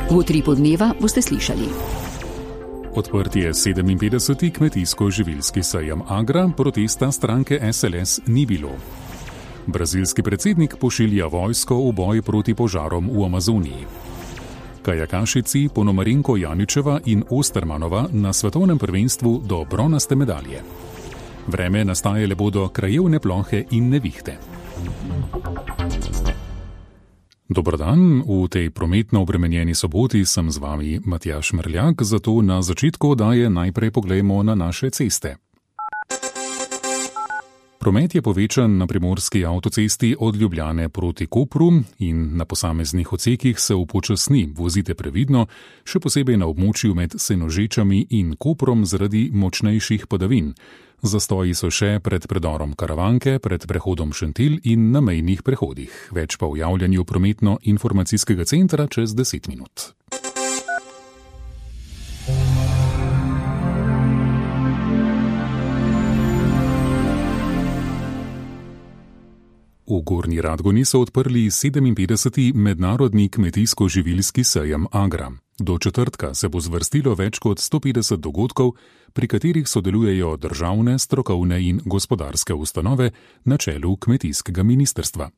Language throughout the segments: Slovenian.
V Utripu dneva boste slišali. Odprt je 57. kmetijsko-živilski sejem Agra, protesta stranke SLS ni bilo. Brazilski predsednik pošilja vojsko v boj proti požarom v Amazoniji. Kajakašici Ponomarenko Janičeva in Ostermanova na svetovnem prvenstvu do bronaste medalje. Vreme nastajale bodo krajevne plohe in nevihte. Dober dan, v tej prometno obremenjeni soboti sem z vami Matjaž Mrljak, zato na začetku oddaje najprej poglejmo na naše ceste. Promet je povečan na primorski avtocesti od Ljubljane proti Kopru in na posameznih odsekih se upočasni. Vozite previdno, še posebej na območju med Senožečami in Koprom zaradi močnejših padavin. Zastoji so še pred predorom Karavanke, pred prehodom Šentilj in na mejnih prehodih. Več pa v javljanju prometno-informacijskega centra čez 10 minut. V Gornji Radgoni so odprli 57. mednarodni kmetijsko-živilski sejem Agra. Do četrtka se bo zvrstilo več kot 150 dogodkov, pri katerih sodelujejo državne, strokovne in gospodarske ustanove na čelu kmetijskega ministrstva.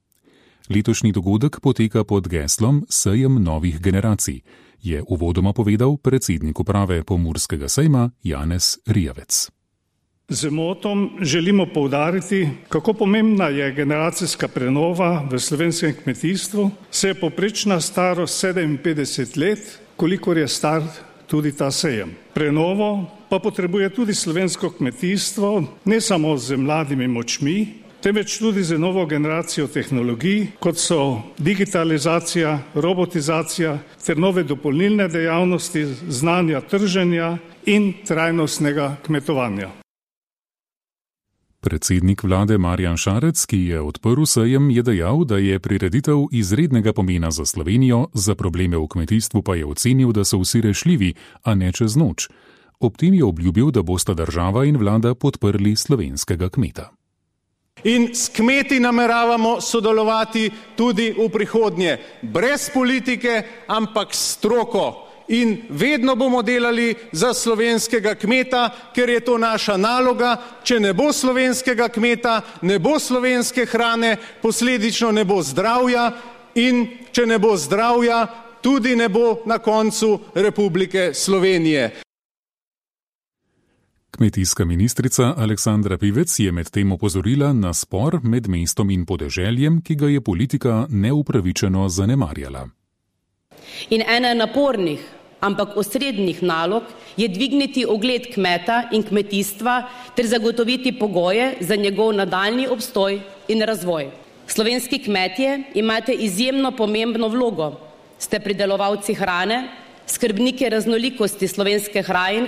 Letošnji dogodek poteka pod geslom Sejem novih generacij, je uvodoma povedal predsednik uprave Pomurskega sejma Janez Rijavec. Z motom želimo poudariti, kako pomembna je generacijska prenova v slovenskem kmetijstvu. Se je povprečna starost 57 let, kolikor je star tudi ta sejem. Prenovo pa potrebuje tudi slovensko kmetijstvo, ne samo z mladimi močmi, temveč tudi z novo generacijo tehnologij, kot so digitalizacija, robotizacija ter nove dopolnilne dejavnosti, znanja trženja in trajnostnega kmetovanja. Predsednik vlade Marjan Šarec, ki je odprl sejem, je dejal, da je prireditev izrednega pomena za Slovenijo, za probleme v kmetijstvu pa je ocenil, da so vsi rešljivi, a ne čez noč. Ob tem je obljubil, da bosta država in vlada podprli slovenskega kmeta. In s kmeti nameravamo sodelovati tudi v prihodnje, brez politike, ampak s stroko. In vedno bomo delali za slovenskega kmeta, ker je to naša naloga. Če ne bo slovenskega kmeta, ne bo slovenske hrane, posledično ne bo zdravja in če ne bo zdravja, tudi ne bo na koncu Republike Slovenije. Kmetijska ministrica Aleksandra Pivec je medtem opozorila na spor med mestom in podeželjem, ki ga je politika neupravičeno zanemarjala. In ena napornih, ampak osrednjih nalog je dvigniti ugled kmeta in kmetijstva ter zagotoviti pogoje za njegov nadaljnji obstoj in razvoj. Slovenski kmetje imate izjemno pomembno vlogo. Ste pridelovalci hrane, skrbniki raznolikosti slovenske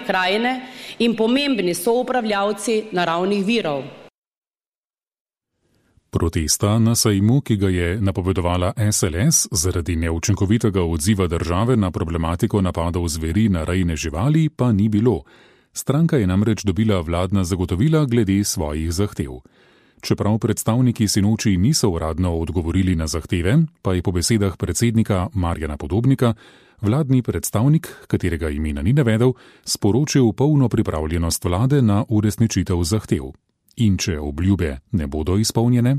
krajine in pomembni soupravljavci naravnih virov. Protesta na sejmu, ki ga je napovedovala SLS zaradi neučinkovitega odziva države na problematiko napadov zveri na rejne živali, pa ni bilo. Stranka je namreč dobila vladna zagotovila glede svojih zahtev. Čeprav predstavniki sinoči niso uradno odgovorili na zahteve, pa je po besedah predsednika Marjana Podobnika vladni predstavnik, katerega imena ni navedel, sporočil polno pripravljenost vlade na uresničitev zahtev. In če obljube ne bodo izpolnjene?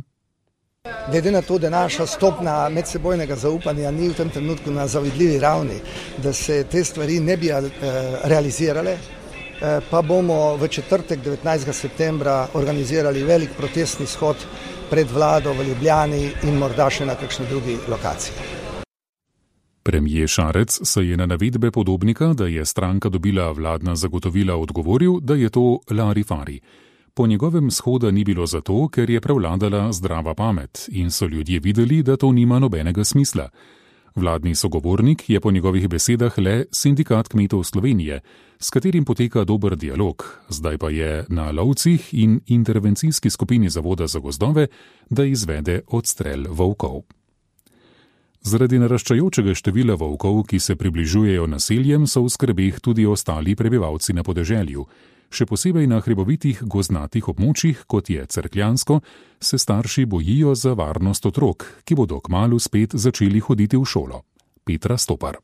Glede na to, da naša stopnja medsebojnega zaupanja ni v tem trenutku na zavidljivi ravni, da se te stvari ne bi realizirale, pa bomo v četrtek 19. septembra organizirali velik protestni shod pred vlado v Ljubljani in morda še na kakšni drugi lokaciji. Premier Šarec se je na navedbe Podobnika, da je stranka dobila vladna zagotovila, odgovoril, da je to larifari. Po njegovem shoda ni bilo zato, ker je prevladala zdrava pamet in so ljudje videli, da to nima nobenega smisla. Vladni sogovornik je po njegovih besedah le Sindikat kmetov Slovenije, s katerim poteka dober dialog, zdaj pa je na lovcih in intervencijski skupini Zavoda za gozdove, da izvede odstrel volkov. Zaradi naraščajočega števila volkov, ki se približujejo naseljem, so v skrbeh tudi ostali prebivalci na podeželju. Še posebej na hribovitih gozdnatih območjih, kot je Cerkljansko, se starši bojijo za varnost otrok, ki bodo kmalu spet začeli hoditi v šolo. Petra Stopar.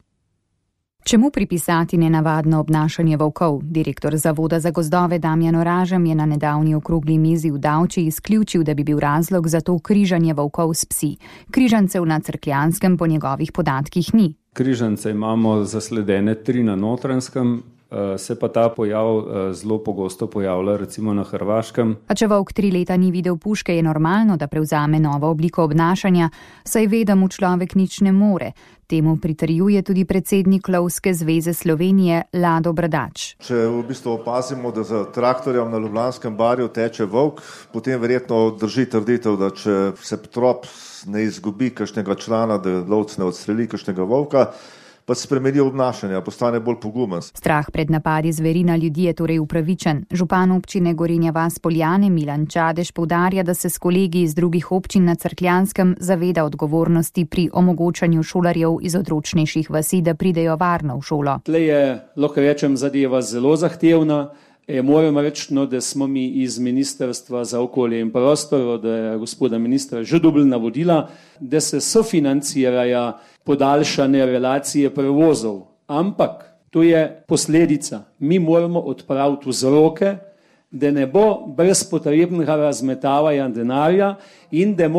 Čemu pripisati nenavadno obnašanje volkov? Direktor Zavoda za gozdove Damjan Oražem je na nedavni okrogli mizi v Davči izključil, da bi bil razlog za to križanje volkov s psi. Križancev na Cerkljanskem po njegovih podatkih ni. Križance imamo zasledene 3 na Notranjskem, se pa ta pojav zelo pogosto pojavlja recimo na Hrvaškem. A če volk 3 leta ni videl puške, je normalno, da prevzame novo obliko obnašanja, saj ve, da mu človek nič ne more. Temu pritrjuje tudi predsednik Lovske zveze Slovenije Lado Bradač. Če v bistvu opazimo, da za traktorjem na Ljubljanskem barju teče volk, potem verjetno drži trditev, da če se trop ne izgubi kakšnega člana, da lovec ne odstreli kakšnega volka, pa spremeni obnašanje, postane bolj pogumen. Strah pred napadi zveri na ljudi je torej upravičen. Župan občine Gorenja vas Poljane Milan Čadež poudarja, da se s kolegi iz drugih občin na Cerkljanskem zaveda odgovornosti pri omogočanju šolarjev iz odročnejših vasi, da pridejo varno v šolo. Tle je, lahko rečem, zadeva zelo zahtevna. Moramo reči, da smo mi iz Ministrstva za okolje in prostor, od gospoda ministra že dobili navodila, da se sofinancirajo podaljšane relacije prevozov. Ampak to je posledica. Mi moramo odpraviti vzroke, da ne bo brezpotrebnega razmetavanja denarja in da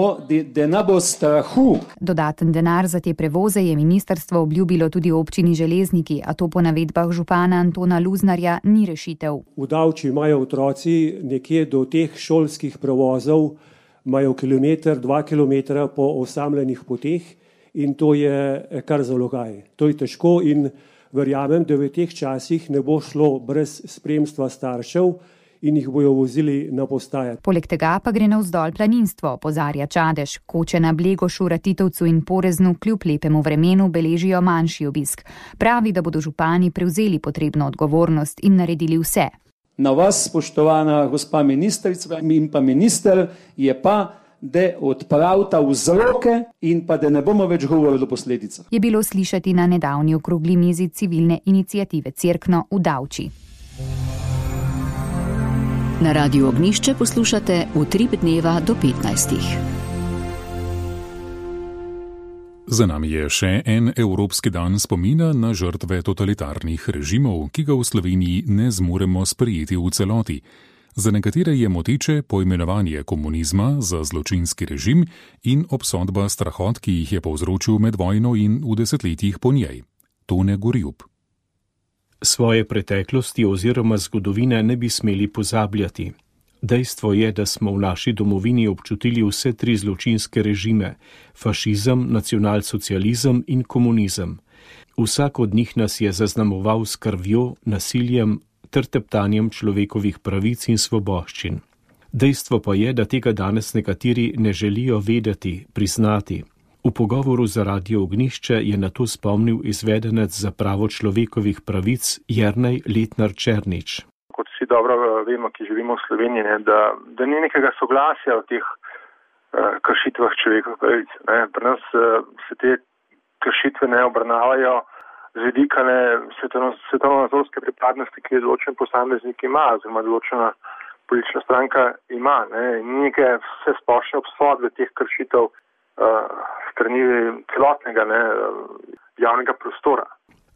ne bo strahu. Dodaten denar za te prevoze je ministrstvo obljubilo tudi občini Železniki, a to po navedbah župana Antona Luznarja ni rešitev. V Davči imajo otroci nekje do teh šolskih prevozov, imajo 1-2 kilometra po osamljenih poteh in to je kar zalogaj. To je težko in verjamem, da v teh časih ne bo šlo brez spremstva staršev in jih bojo vozili na postaje. Poleg tega pa gre navzdol planinstvo, opozarja Čadež. Koče na Blegošu, Ratitovcu in Poreznu kljub lepemu vremenu beležijo manjši obisk. Pravi, da bodo župani prevzeli potrebno odgovornost in naredili vse. Na vas, spoštovana gospa ministrica in pa minister, je pa, da odpravita vzroke in pa da ne bomo več govorili o posledicah. Je bilo slišati na nedavni okrogli mizi civilne iniciative Cerkno v Davči. Na Radiu Ognjišče poslušate Utrip dneva do 15. Za nami je še en Evropski dan spomina na žrtve totalitarnih režimov, ki ga v Sloveniji ne zmoremo sprejeti v celoti. Za nekatere je moteče poimenovanje komunizma za zločinski režim in obsodba strahot, ki jih je povzročil med vojno in v desetletjih po njej. Tone Gorjub. Svoje preteklosti oziroma zgodovine ne bi smeli pozabljati. Dejstvo je, da smo v naši domovini občutili vse 3 zločinske režime: fašizem, nacionalsocializem in komunizem. Vsak od njih nas je zaznamoval s krvjo, nasiljem ter teptanjem človekovih pravic in svoboščin. Dejstvo pa je, da tega danes nekateri ne želijo vedeti, priznati. V pogovoru za Radio Ognjišče je na to spomnil izvedenec za pravo človekovih pravic Jernej Letnar Černič. Kot vsi dobro vemo, ki živimo v Sloveniji, da ni nekega soglasja o teh kršitvah človekovih pravic. Pri nas se te kršitve ne obravnavajo z vidika svetovno-nazorske pripadnosti, ki je določen posameznik ima, oziroma določena politična stranka ima. Ni neke vse splošne obsodbe teh kršitev strani celotnega javnega prostora.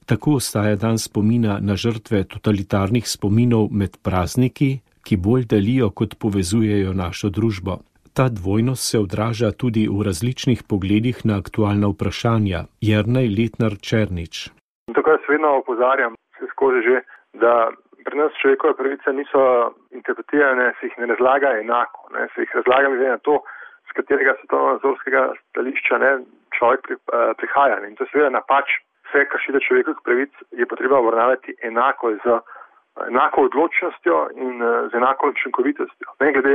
Tako ostaja dan spomina na žrtve totalitarnih spominov med prazniki, ki bolj delijo kot povezujejo našo družbo. Ta dvojnost se odraža tudi v različnih pogledih na aktualna vprašanja. Jernej Letnar Černič. Tako jaz vedno opozarjam se skozi že, da pri nas človekove pravice niso interpretirane, se jih ne razlaga enako. Se jih razlaga glede na to, z katerega svetovno-nazorskega stališča človek prihaja. In to je seveda napač. Vse kršitve človekovih pravic je potreba obravnavati enako, z enako odločnostjo in z enako učinkovitostjo. Ne glede,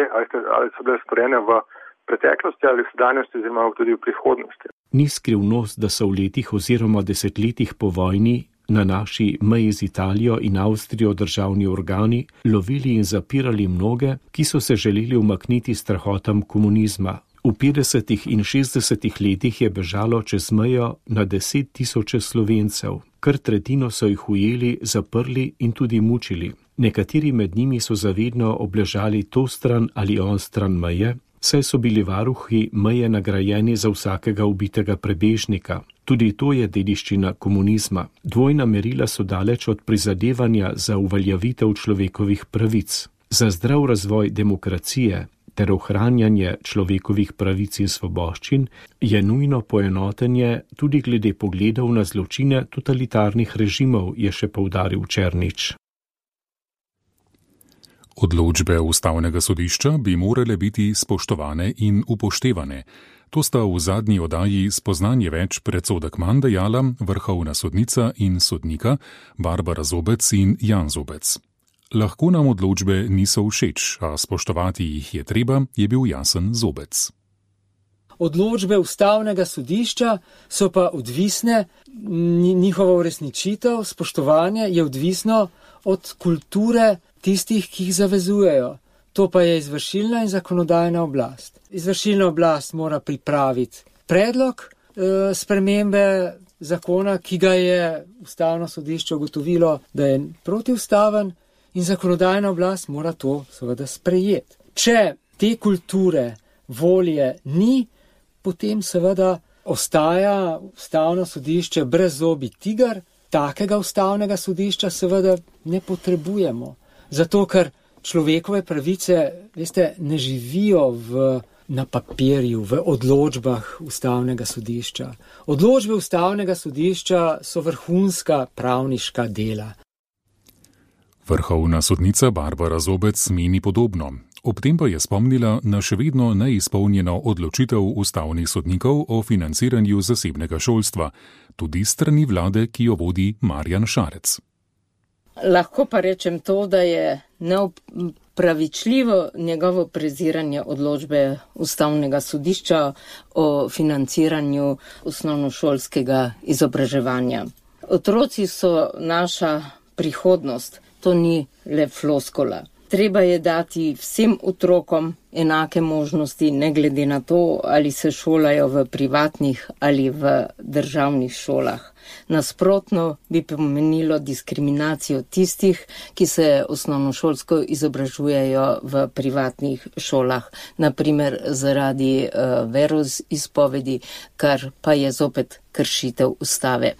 ali so bile storjene v preteklosti ali v sedanjosti oziroma tudi v prihodnosti. Ni skrivnost, da so v letih oziroma desetletjih po vojni na naši meji z Italijo in Avstrijo državni organi lovili in zapirali mnoge, ki so se želeli umakniti strahotam komunizma. V 50. in 60. letih je bežalo čez mejo na 10 000 Slovencev. Kar tretjino so jih ujeli, zaprli in tudi mučili. Nekateri med njimi so zavedno obležali to stran ali on stran meje, saj so bili varuhi meje nagrajeni za vsakega ubitega prebežnika. Tudi to je dediščina komunizma. Dvojna merila so daleč od prizadevanja za uveljavitev človekovih pravic. Za zdrav razvoj demokracije ter ohranjanje človekovih pravic in svoboščin je nujno poenotenje tudi glede pogledov na zločine totalitarnih režimov, je še poudaril Černič. Odločbe Ustavnega sodišča bi morale biti spoštovane in upoštevane. To sta v zadnji oddaji Spoznanje več predsodek manj dejala vrhovna sodnica in sodnika Barbara Zobec in Jan Zobec. Lahko nam odločbe niso všeč, a spoštovati jih je treba, je bil jasen Zobec. Odločbe Ustavnega sodišča so pa odvisne, njihova uresničitev, spoštovanje je odvisno od kulture tistih, ki jih zavezujejo. To pa je izvršilna in zakonodajna oblast. Izvršilna oblast mora pripraviti predlog spremembe zakona, ki ga je Ustavno sodišče ugotovilo, da je protiustaven, in zakonodajna oblast mora to seveda sprejeti. Če te kulture, volje ni, potem seveda ostaja Ustavno sodišče brezzobi tiger. Takega Ustavnega sodišča seveda ne potrebujemo. Zato, ker človekove pravice, veste, ne živijo na papirju, v odločbah Ustavnega sodišča. Odločbe Ustavnega sodišča so vrhunska pravniška dela. Vrhovna sodnica Barbara Zobec meni podobno. Ob tem pa je spomnila na še vedno neizpolnjeno odločitev ustavnih sodnikov o financiranju zasebnega šolstva, tudi strani vlade, ki jo vodi Marjan Šarec. Lahko pa rečem to, da je neopravičljivo njegovo preziranje odločbe Ustavnega sodišča o financiranju osnovnošolskega izobraževanja. Otroci so naša prihodnost, to ni le floskola. Treba je dati vsem otrokom enake možnosti, ne glede na to, ali se šolajo v privatnih ali v državnih šolah. Nasprotno bi pomenilo diskriminacijo tistih, ki se osnovnošolsko izobražujejo v privatnih šolah, naprimer zaradi veroizpovedi, kar pa je zopet kršitev ustave.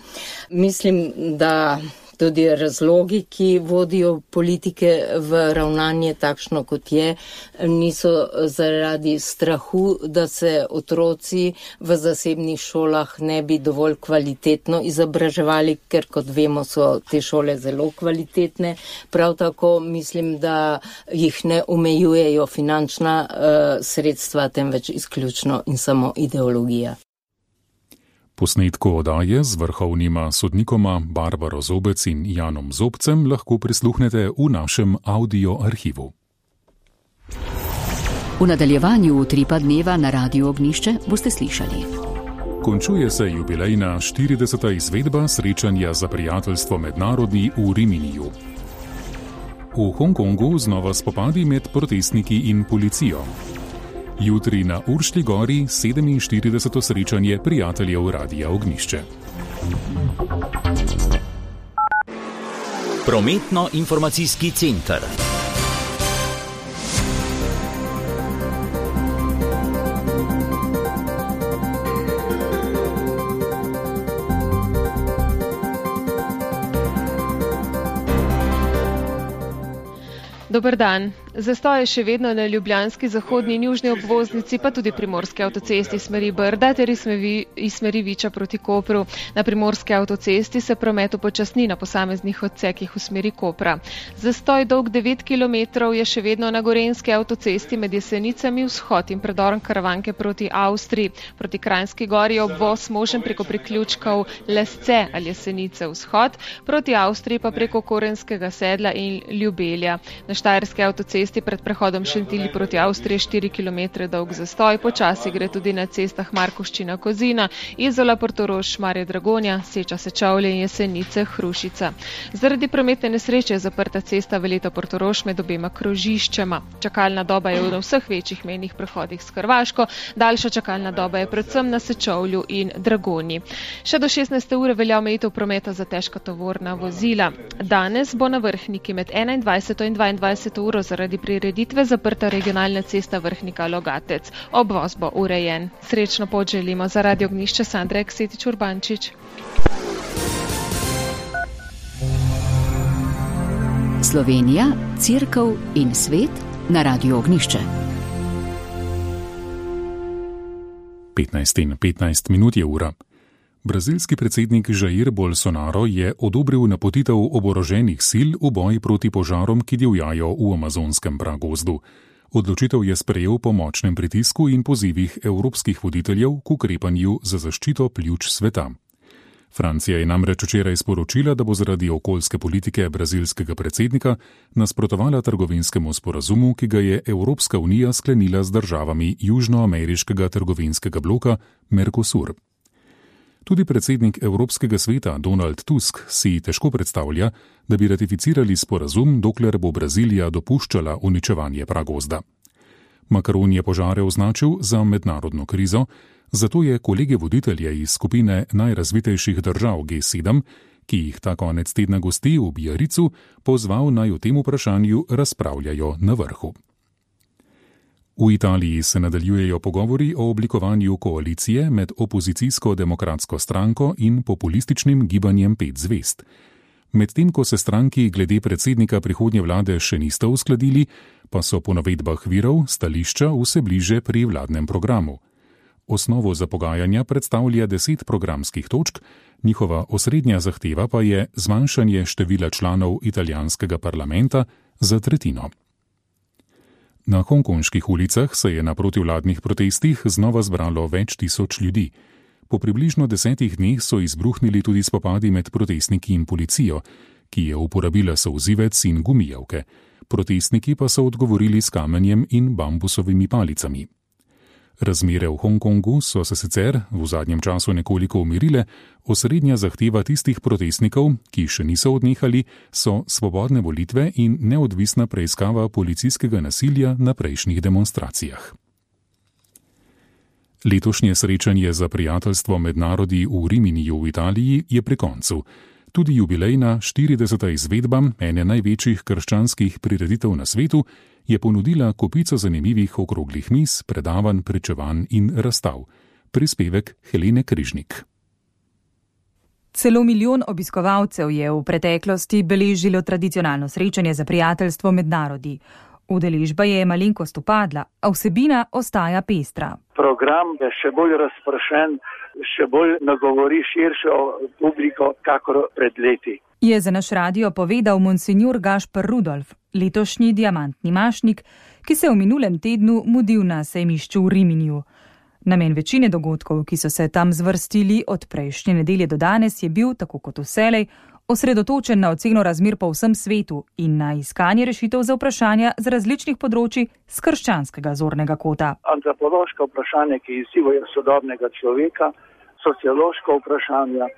Mislim, da tudi razlogi, ki vodijo politike v ravnanje takšno, kot je, niso zaradi strahu, da se otroci v zasebnih šolah ne bi dovolj kvalitetno izobraževali, ker kot vemo, so te šole zelo kvalitetne. Prav tako mislim, da jih ne omejujejo finančna sredstva, temveč izključno in samo ideologija. Posnetko oddaje z vrhovnima sodnikoma Barbaro Zobec in Janom Zobcem lahko prisluhnete v našem audio arhivu. V nadaljevanju Utripa dneva na Radiu Ognjišče boste slišali. Končuje se jubilejna 40. izvedba srečanja za prijateljstvo med narodi v Riminiju. V Hongkongu znova spopadi med protestniki in policijo. Jutri na Uršlji gori 47. srečanje prijateljev Radia Ognjišče. Prometno-informacijski center. Dober dan. Zastoj je še vedno na ljubljanski zahodni in južni obvoznici, pa tudi primorski avtocesti smeri Brda ter iz smeri Viča proti Kopru. Na primorski avtocesti se promet upočasni na posameznih odsekih v smeri Kopra. Zastoj dolg 9 km je še vedno na gorenjski avtocesti med Jesenicami vzhod in predorom Karavanke proti Avstriji. Proti Kranjski gori je obvoz možen preko priključkov Lesce ali Jesenice vzhod, proti Avstriji pa preko Korenskega sedla in Ljubelja. Na štajerski avtocesti pred prehodom Šentilj proti Avstriji 4 km dolg zastoj, počasi gre tudi na cestah Markovščina Kozina, Izola Portorož, Marje Dragonja, Seča Sečovlje in Jesenice Hrušica. Zaradi prometne nesreče je zaprta cesta Veleta Portorož med obema krožiščema. Čakalna doba je na vseh večjih mejnih prehodih s Hrvaško, daljša čakalna doba je predvsem na Sečovlju in Dragonji. Še do 16. ure velja omejitev prometa za težka tovorna vozila. Danes bo na Vrhniki med 21. in 22. uro zaradi Zaradi prireditve zaprta regionalna cesta Vrhnika-Logatec. Obvoz bo urejen. Srečno pot želimo za Radio Ognjišče Sandra Eksetič-Urbančič. Slovenija, Cerkev in svet na Radio Ognjišče. 15:15 je ura. Brazilski predsednik Jair Bolsonaro je odobril napotitev oboroženih sil v boj proti požarom, ki divjajo v amazonskem pragozdu. Odločitev je sprejel po močnem pritisku in pozivih evropskih voditeljev k ukrepanju za zaščito pljuč sveta. Francija je namreč včeraj sporočila, da bo zaradi okoljske politike brazilskega predsednika nasprotovala trgovinskemu sporazumu, ki ga je Evropska unija sklenila z državami južnoameriškega trgovinskega bloka Mercosur. Tudi predsednik Evropskega sveta Donald Tusk si težko predstavlja, da bi ratificirali sporazum, dokler bo Brazilija dopuščala uničevanje pragozda. Macron je požare označil za mednarodno krizo, zato je kolege voditelje iz skupine najrazvitejših držav G7, ki jih ta konec tedna gosti v Biaricu, pozval naj o tem vprašanju razpravljajo na vrhu. V Italiji se nadaljujejo pogovori o oblikovanju koalicije med opozicijsko demokratsko stranko in populističnim gibanjem 5 zvezd. Medtem ko se stranki glede predsednika prihodnje vlade še nista uskladili, pa so po navedbah virov stališča vse bliže pri vladnem programu. Osnovo za pogajanja predstavlja 10 programskih točk, njihova osrednja zahteva pa je zmanjšanje števila članov italijanskega parlamenta za tretjino. Na hongkonških ulicah se je na protivladnih protestih znova zbralo več tisoč ljudi. Po približno 10 dneh so izbruhnili tudi spopadi med protestniki in policijo, ki je uporabila solzivec in gumijevke. Protestniki pa so odgovorili s kamenjem in bambusovimi palicami. Razmere v Hongkongu so se sicer v zadnjem času nekoliko umirile, osrednja zahteva tistih protestnikov, ki še niso odnehali, so svobodne volitve in neodvisna preiskava policijskega nasilja na prejšnjih demonstracijah. Letošnje srečanje za prijateljstvo med narodi v Riminiju v Italiji je pri koncu. Tudi jubilejna 40. izvedba ene največjih krščanskih prireditev na svetu je ponudila kopico zanimivih okroglih miz, predavanj, pričevanj in razstav. Prispevek Helene Križnik. Celo milijon obiskovalcev je v preteklosti beležilo tradicionalno srečanje za prijateljstvo med narodi. Udeležba je malenkost upadla, a vsebina ostaja pestra. Program je še bolj razpršen, še bolj nagovori širšo publiko, kakor pred leti. Je za naš radio povedal monsinjor Gašper Rudolf, letošnji diamantni mašnik, ki se v minulem tednu mudil na sejmišču v Riminiju. Namen večine dogodkov, ki so se tam zvrstili od prejšnje nedelje do danes, je bil, tako kot vselej, osredotočen na oceno razmer po vsem svetu in na iskanje rešitev za vprašanja z različnih področji z krščanskega zornega kota. Antropološka vprašanja, ki izzivajo sodobnega človeka, sociološka vprašanja,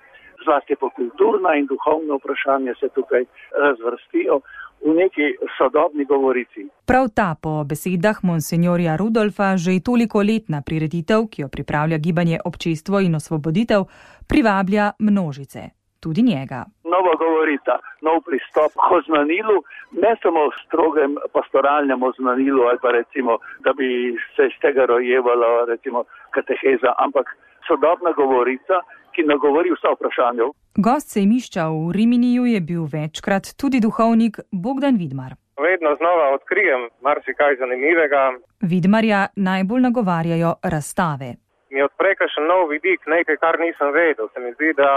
zlasti po kulturna in duhovna vprašanja se tukaj razvrstijo v neki sodobni govorici. Prav ta po besedah monsinjorja Rudolfa že toliko letna prireditev, ki jo pripravlja gibanje Občestvo in osvoboditev, privablja množice. Tudi njega. Nova govorita, nov pristop k oznanilu, ne samo v strogem pastoralnem oznanilu ali pa recimo, da bi se iz tega rojevala recimo kateheza, ampak sodobna govorica, ki nagovori vsa vprašanja. Gost sejmišča v Riminiju je bil večkrat tudi duhovnik Bogdan Vidmar. Vedno znova odkrijem marsikaj zanimivega. Vidmarja najbolj nagovarjajo razstave. Mi odpre kakšen nov vidik, nekaj, kar nisem vedel. Se mi zdi, da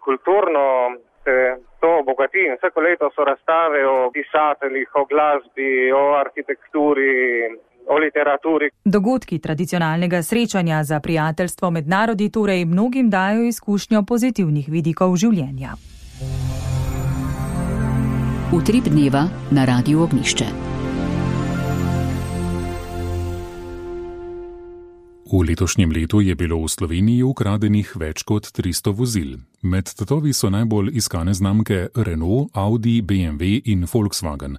kulturno se to obogati in vsako leto so razstave o pisateljih, o glasbi, o arhitekturi, o literaturi. Dogodki tradicionalnega srečanja za prijateljstvo med narodi torej mnogim dajo izkušnjo pozitivnih vidikov življenja. Utrip dneva na Radiu Ognjišče. V letošnjem letu je bilo v Sloveniji ukradenih več kot 300 vozil. Med tatovi so najbolj iskane znamke Renault, Audi, BMW in Volkswagen.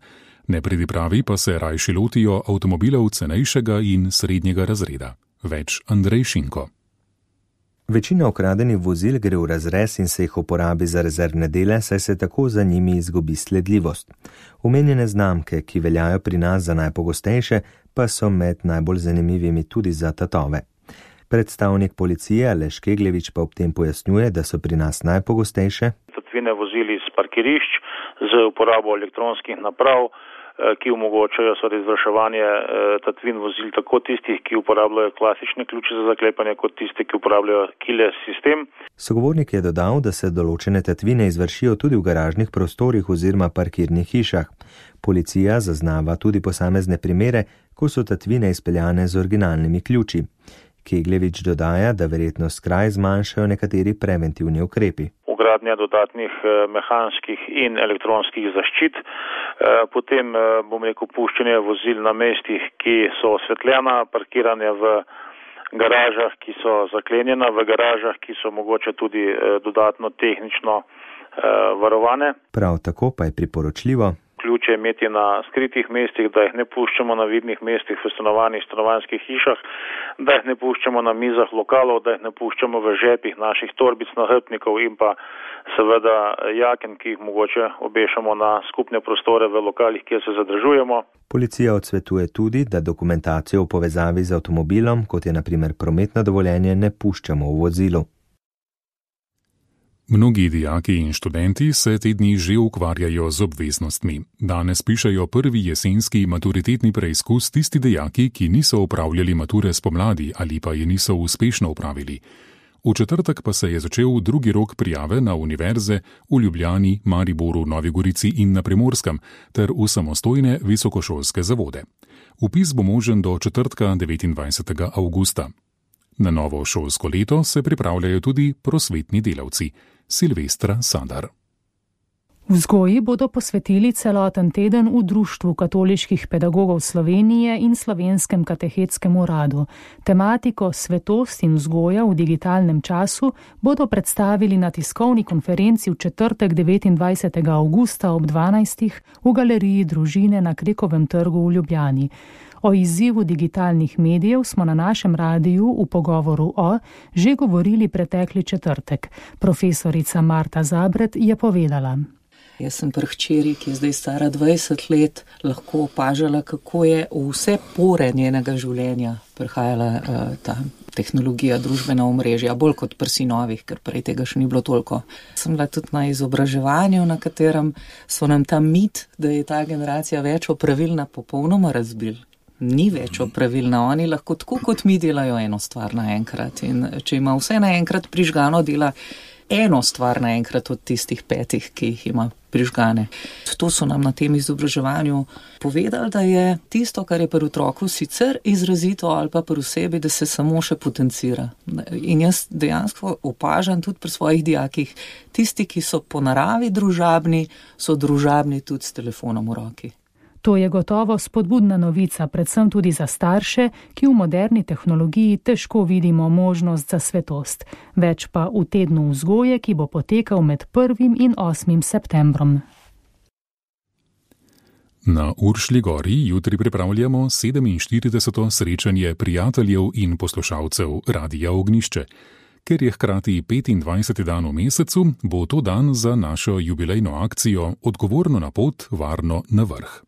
Nepridipravi pa se rajši lotijo avtomobilov cenejšega in srednjega razreda. Več Andrej Šinko. Večina ukradenih vozil gre v razrez in se jih uporabi za rezervne dele, saj se tako za njimi izgubi sledljivost. Omenjene znamke, ki veljajo pri nas za najpogostejše, pa so med najbolj zanimivimi tudi za tatove. Predstavnik policije Aleš Kegljevič pa ob tem pojasnjuje, da so pri nas najpogostejše tatvine vozili iz parkirišč z uporabo elektronskih naprav, ki omogočajo izvrševanje tatvin vozil tako tistih, ki uporabljajo klasične ključe za zaklepanje, kot tiste, ki uporabljajo keyless sistem. Sogovornik je dodal, da se določene tatvine izvršijo tudi v garažnih prostorih oziroma parkirnih hišah. Policija zaznava tudi posamezne primere, ko so tatvine izpeljane z originalnimi ključi. Kegljevič dodaja, da verjetno skraj zmanjšajo nekateri preventivni ukrepi. Ugradnja dodatnih mehanskih in elektronskih zaščit, potem puščanje vozil na mestih, ki so osvetljena, parkiranje v garažah, ki so zaklenjena, v garažah, ki so mogoče tudi dodatno tehnično varovane. Prav tako pa je priporočljivo ključe imeti na skritih mestih, da jih ne puščamo na vidnih mestih v stanovanjskih hišah, da jih ne puščamo na mizah lokalov, da jih ne puščamo v žepih naših torbic, nahrbtnikov in pa seveda jaken, ki jih mogoče obešamo na skupne prostore v lokalih, kjer se zadržujemo. Policija odsvetuje tudi, da dokumentacijo v povezavi z avtomobilom, kot je na primer prometno dovoljenje, ne puščamo v vozilu. Mnogi dijaki in študenti se te dni že ukvarjajo z obveznostmi. Danes pišejo prvi jesenski maturitetni preizkus tisti dijaki, ki niso opravljali mature spomladi ali pa je niso uspešno opravili. V četrtek pa se je začel drugi rok prijave na univerze v Ljubljani, Mariboru, Novi Gorici in na Primorskem ter v samostojne visokošolske zavode. Vpis bo možen do četrtka 29. avgusta. Na novo šolsko leto se pripravljajo tudi prosvetni delavci. Silvestra Sadar. Vzgoji bodo posvetili celoten teden v Društvu katoliških pedagogov Slovenije in Slovenskem katehetskem uradu. Tematiko Svetost in vzgoja v digitalnem času bodo predstavili na tiskovni konferenci v četrtek 29. avgusta ob 12. v galeriji Družine na Krekovem trgu v Ljubljani. O izzivu digitalnih medijev smo na našem radiju v pogovoru že govorili pretekli četrtek. Profesorica Marta Zabret je povedala. Jaz sem pri hčeri, ki je zdaj stara 20 let, lahko opažala, kako je v vse pore njenega življenja prihajala ta tehnologija, družbena omrežja, bolj kot pri sinovih, ker prej tega še ni bilo toliko. Sem bila tudi na izobraževanju, na katerem so nam ta mit, da je ta generacija več opravilna, popolnoma razbil. Ni več opravilna, oni lahko tako kot mi delajo eno stvar naenkrat in če ima vse naenkrat prižgano, dela eno stvar naenkrat od tistih 5, ki jih ima prižgane. To so nam na tem izobraževanju povedali, da je tisto, kar je pri otroku sicer izrazito ali pa pri osebi, da se samo še potencira. In jaz dejansko opažam tudi pri svojih dijakih, tisti, ki so po naravi družabni, so družabni tudi s telefonom v roki. To je gotovo spodbudna novica, predvsem tudi za starše, ki v moderni tehnologiji težko vidimo možnost za svetost. Več pa v tednu vzgoje, ki bo potekal med 1. in 8. septembrom. Na Uršlji gori jutri pripravljamo 47. srečanje prijateljev in poslušalcev Radia Ognjišče. Ker je hkrati 25. dan v mesecu, bo to dan za našo jubilejno akcijo Odgovorno na pot, varno na vrh.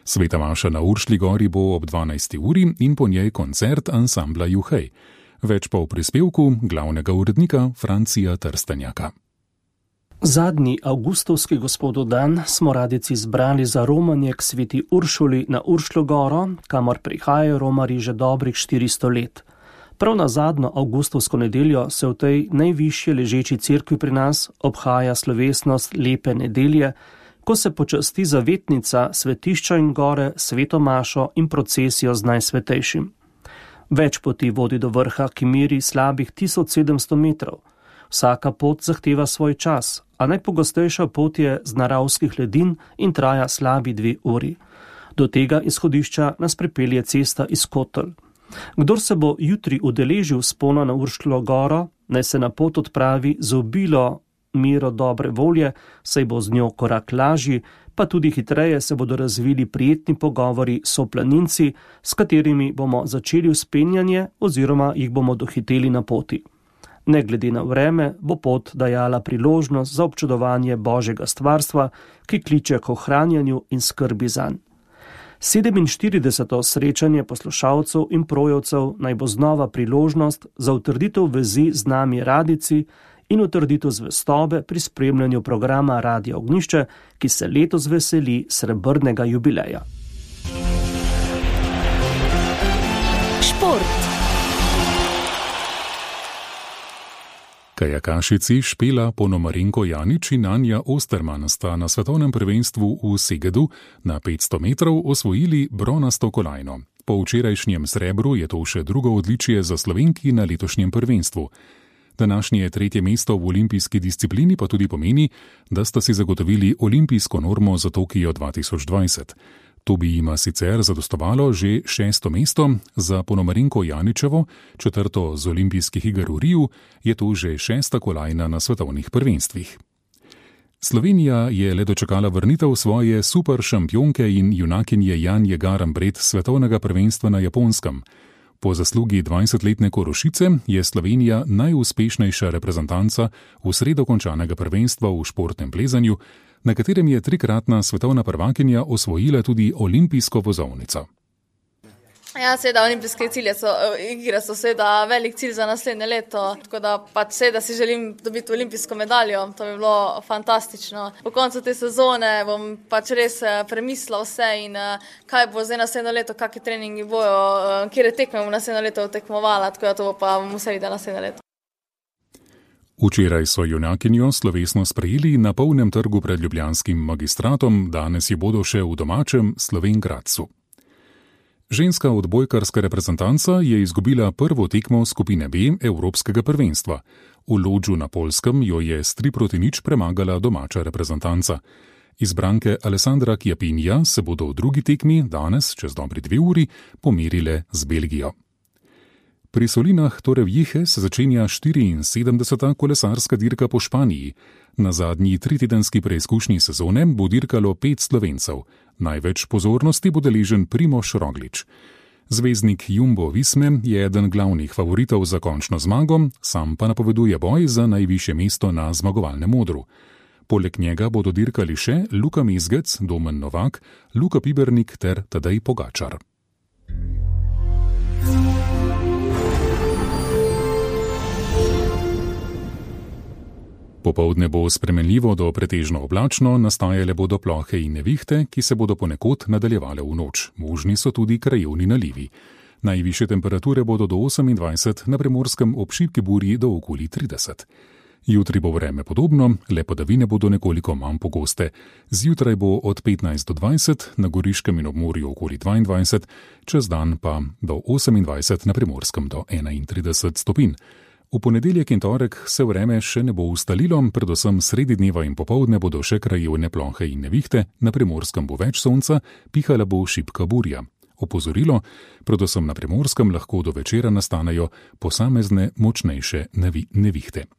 Sveta maša na Uršlji gori bo ob 12. uri in po njej koncert ansambla Juhej. Več pa v prispevku glavnega urednika Francija Trstenjaka. Zadnji avgustovski gospodov dan smo radici izbrali za romanje k sveti Uršuli na Uršljo goro, kamor prihajajo romarji že dobrih 400 let. Prav na zadnjo avgustovsko nedeljo se v tej najvišje ležeči cerkvi pri nas obhaja slovesnost lepe nedelje, ko se počasti zavetnica svetišča in gore, sveto mašo in procesijo z najsvetejšim. Več poti vodi do vrha, ki meri slabih 1700 metrov. Vsaka pot zahteva svoj čas, a najpogostejša pot je z naravskih ledin in traja slabi 2 uri. Do tega izhodišča nas pripelje cesta iz Kotelj. Kdor se bo jutri udeležil vzpona na Uršljo goro, naj se na pot odpravi z obilo mero dobre volje, saj bo z njo korak lažji, pa tudi hitreje se bodo razvili prijetni pogovori s soplaninci, s katerimi bomo začeli vzpenjanje oziroma jih bomo dohiteli na poti. Ne glede na vreme bo pot dajala priložnost za občudovanje Božjega stvarstva, ki kliče k ohranjanju in skrbi zanj. 47. srečanje poslušalcev in projevcev naj bo znova priložnost za utrditev vezi z nami radijci in utrditev zvestobe pri spremljanju programa Radio Ognjišče, ki se letos veseli srebrnega jubileja. Šport. Kajakašici Špela Ponomarenko Janič in Anja Osterman sta na svetovnem prvenstvu v Segedu na 500 metrov osvojili bronasto kolajno. Po včerajšnjem srebru je to še drugo odličje za Slovenki na letošnjem prvenstvu. Današnje 3. mesto v olimpijski disciplini pa tudi pomeni, da sta si zagotovili olimpijsko normo za Tokio 2020. To bi jima sicer zadostovalo že 6. mesto, za Ponomarenko Janičevo, 4. z olimpijskih iger v Riju, je to že 6. kolajna na svetovnih prvenstvih. Slovenija je le dočakala vrnitev svoje super šampionke in junakinje Janje Garambret svetovnega prvenstva na Japonskem. Po zaslugi 20-letne Korošice je Slovenija najuspešnejša reprezentanca v sredo končanega prvenstva v športnem plezanju, na katerem je 3-kratna svetovna prvakinja osvojila tudi olimpijsko vozovnico. Ja, seveda, olimpijske igre so seveda velik cilj za naslednje leto, tako da pač seveda si želim dobiti olimpijsko medaljo, to bi bilo fantastično. Po koncu te sezone bom pač res premislila vse in kaj bo zdaj naslednje leto, kakšni treningi bojo, kjer tekme bom naslednje leto tekmovala, tako da to bo pa vse videla naslednje leto. Včeraj so junakinjo slovesno sprejeli na polnem trgu pred ljubljanskim magistratom, danes ji bodo še v domačem Slovenj Gradcu. Ženska odbojkarska reprezentanca je izgubila prvo tekmo skupine B Evropskega prvenstva. V Lodžu na Poljskem jo je s 3-0 premagala domača reprezentanca. Izbranke Alessandra Chiappinija se bodo v drugi tekmi danes, čez dobri 2 uri, pomerile z Belgijo. Pri Solinah Torrevieje se začenja 74. kolesarska dirka po Španiji. Na zadnji 3-tedenski preizkušnji sezone bo dirkalo 5 Slovencev. Največ pozornosti bo deležen Primož Roglič. Zvezdnik Jumbo Visme je eden glavnih favoritov za končno zmago, sam pa napoveduje boj za najvišje mesto na zmagovalnem odru. Poleg njega bodo dirkali še Luka Mezgec, Domen Novak, Luka Pibernik ter Tadej Pogačar. Popoldne bo spremenljivo do pretežno oblačno, nastajale bodo plohe in nevihte, ki se bodo ponekod nadaljevale v noč. Možni so tudi krajevni nalivi. Najvišje temperature bodo do 28, na Primorskem ob šibki burji do okoli 30. Jutri bo vreme podobno, le padavine bodo nekoliko manj pogoste. Zjutraj bo od 15 do 20, na Goriškem in ob morju okoli 22, čez dan pa do 28, na Primorskem do 31 stopinj. V ponedeljek in torek se vreme še ne bo ustalilo, predvsem sredi dneva in popoldne bodo še krajevne plohe in nevihte, na Primorskem bo več sonca, pihala bo šibka burja. Opozorilo, predvsem na Primorskem lahko do večera nastanejo posamezne močnejše nevihte.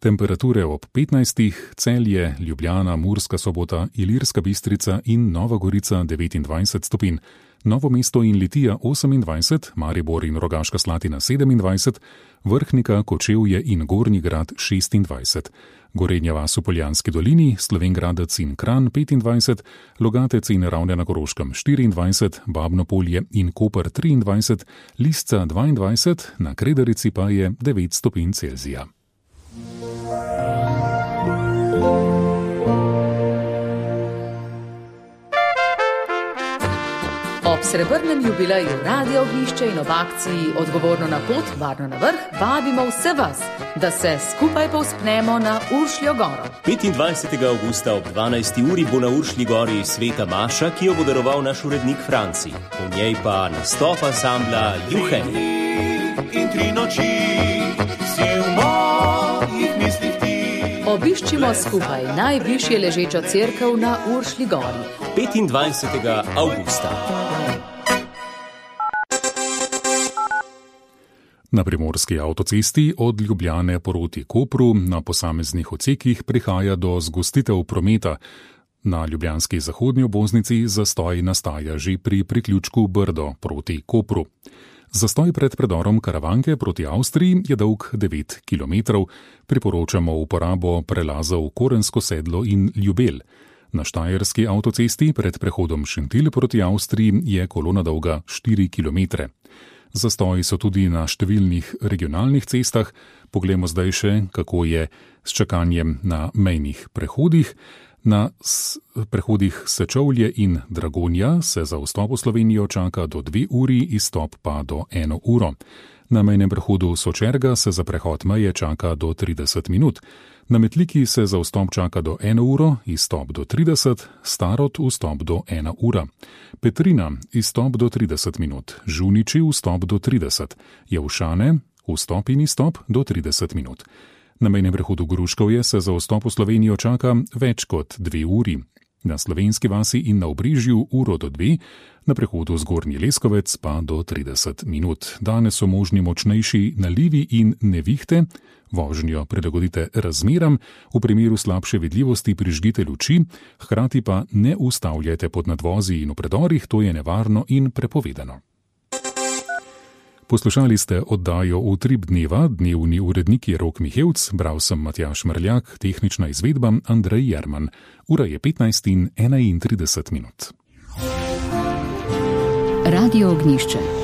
Temperature ob 15, Celje, Ljubljana, Murska Sobota, Ilirska Bistrica in Nova Gorica 29 stopinj. Novo mesto in Litija 28, Maribor in Rogaška Slatina 27, Vrhnika, Kočevje in Gornji Grad 26, Gorenja vas v Poljanski dolini, Slovenj Gradec in Kranj 25, Logatec in Ravne na Koroškem 24, Babno Polje in Koper 23, Lisca 22, na Kredarici pa je 9 stopinj Celzija. Ob srebrnem jubileju Radio Ognjišče in ob akciji Odgovorno na pot, varno na vrh, vabimo vse vas, da se skupaj povzpnemo na Uršljo goro. 25. avgusta ob 12. uri bo na Uršlji gori sveta maša, ki jo bo daroval naš urednik Franci. Po njej pa nastop ansambla Juhe. In 3 noči si v mojih mislih ti. Obiščimo skupaj najvišje ležečo cerkev na Uršlji gori. 25. avgusta. Na primorski avtocesti od Ljubljane proti Kopru na posameznih odsekih prihaja do zgostitev prometa. Na ljubljanski zahodnji obvoznici zastoj nastaja že pri priključku Brdo proti Kopru. Zastoj pred predorom Karavanke proti Avstriji je dolg 9 km. Priporočamo uporabo prelazov Korensko sedlo in Ljubelj. Na štajerski avtocesti pred prehodom Šentilj proti Avstriji je kolona dolga 4 km. Zastoji so tudi na številnih regionalnih cestah. Poglejmo zdaj še, kako je s čakanjem na mejnih prehodih. Na prehodih Sečovlje in Dragonja se za vstop v Slovenijo čaka do 2 uri, izstop pa do 1 uro. Na mejnem prehodu Sočerga se za prehod meje čaka do 30 minut. Na Metliki se za vstop čaka do 1 uro, izstop do 30, Starod vstop do 1 ura. Petrina izstop do 30 minut, Žuniči vstop do 30, Javšane vstop in izstop do 30 minut. Na mejnem prehodu Gruškovje se za vstop v Slovenijo čaka več kot 2 uri. Na Slovenski vasi in na Obrežju 1 do 2, na prehodu Zgornji Leskovec pa do 30 minut. Danes so možni močnejši nalivi in nevihte. Vožnjo prilagodite razmeram, v primeru slabše vidljivosti prižgite luči, hkrati pa ne ustavljajte pod nadvozi in v predorih, to je nevarno in prepovedano. Poslušali ste oddajo Utrip dneva, dnevni urednik je Rok Mihevc, bral sem Matjaž Mrljak, tehnična izvedba Andrej Jerman. Ura je 15:31. Radio Ognjišče.